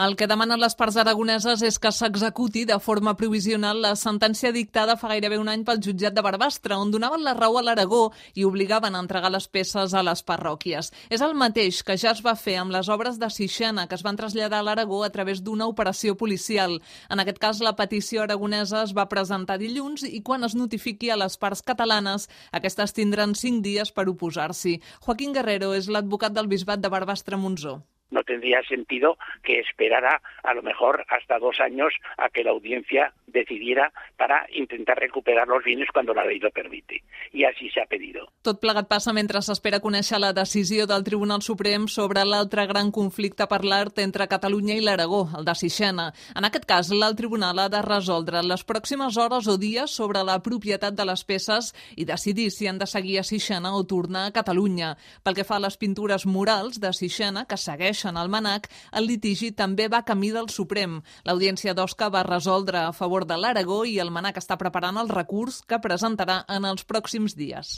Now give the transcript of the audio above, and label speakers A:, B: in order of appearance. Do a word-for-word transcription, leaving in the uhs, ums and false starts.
A: El que demanen les parts aragoneses és que s'executi de forma provisional la sentència dictada fa gairebé un any pel jutjat de Barbastre, on donaven la raó a l'Aragó i obligaven a entregar les peces a les parròquies. És el mateix que ja es va fer amb les obres de Sixena, que es van traslladar a l'Aragó a través d'una operació policial. En aquest cas, la petició aragonesa es va presentar dilluns i quan es notifiqui a les parts catalanes, aquestes tindran cinc dies per oposar-s'hi. Joaquín Guerrero és l'advocat del Bisbat de Barbastre-Montsó.
B: No tendría sentido que esperara a lo mejor hasta dos años a que la audiencia decidiera para intentar recuperar los bienes cuando la ley lo permite. Y así se ha pedido.
A: Tot plegat passa mentre s'espera conèixer la decisió del Tribunal Suprem sobre l'altre gran conflicte per l'art entre Catalunya i l'Aragó, el de Sixena. En aquest cas, l'alt tribunal ha de resoldre les pròximes hores o dies sobre la propietat de les peces i decidir si han de seguir a Sixena o tornar a Catalunya. Pel que fa a les pintures murals de Sixena, que segueixen al MNAC, el litigi també va camí del Suprem. L'Audiència d'Osca va resoldre a favor de l'Aragó i el MNAC està preparant el recurs que presentarà en els pròxims dies.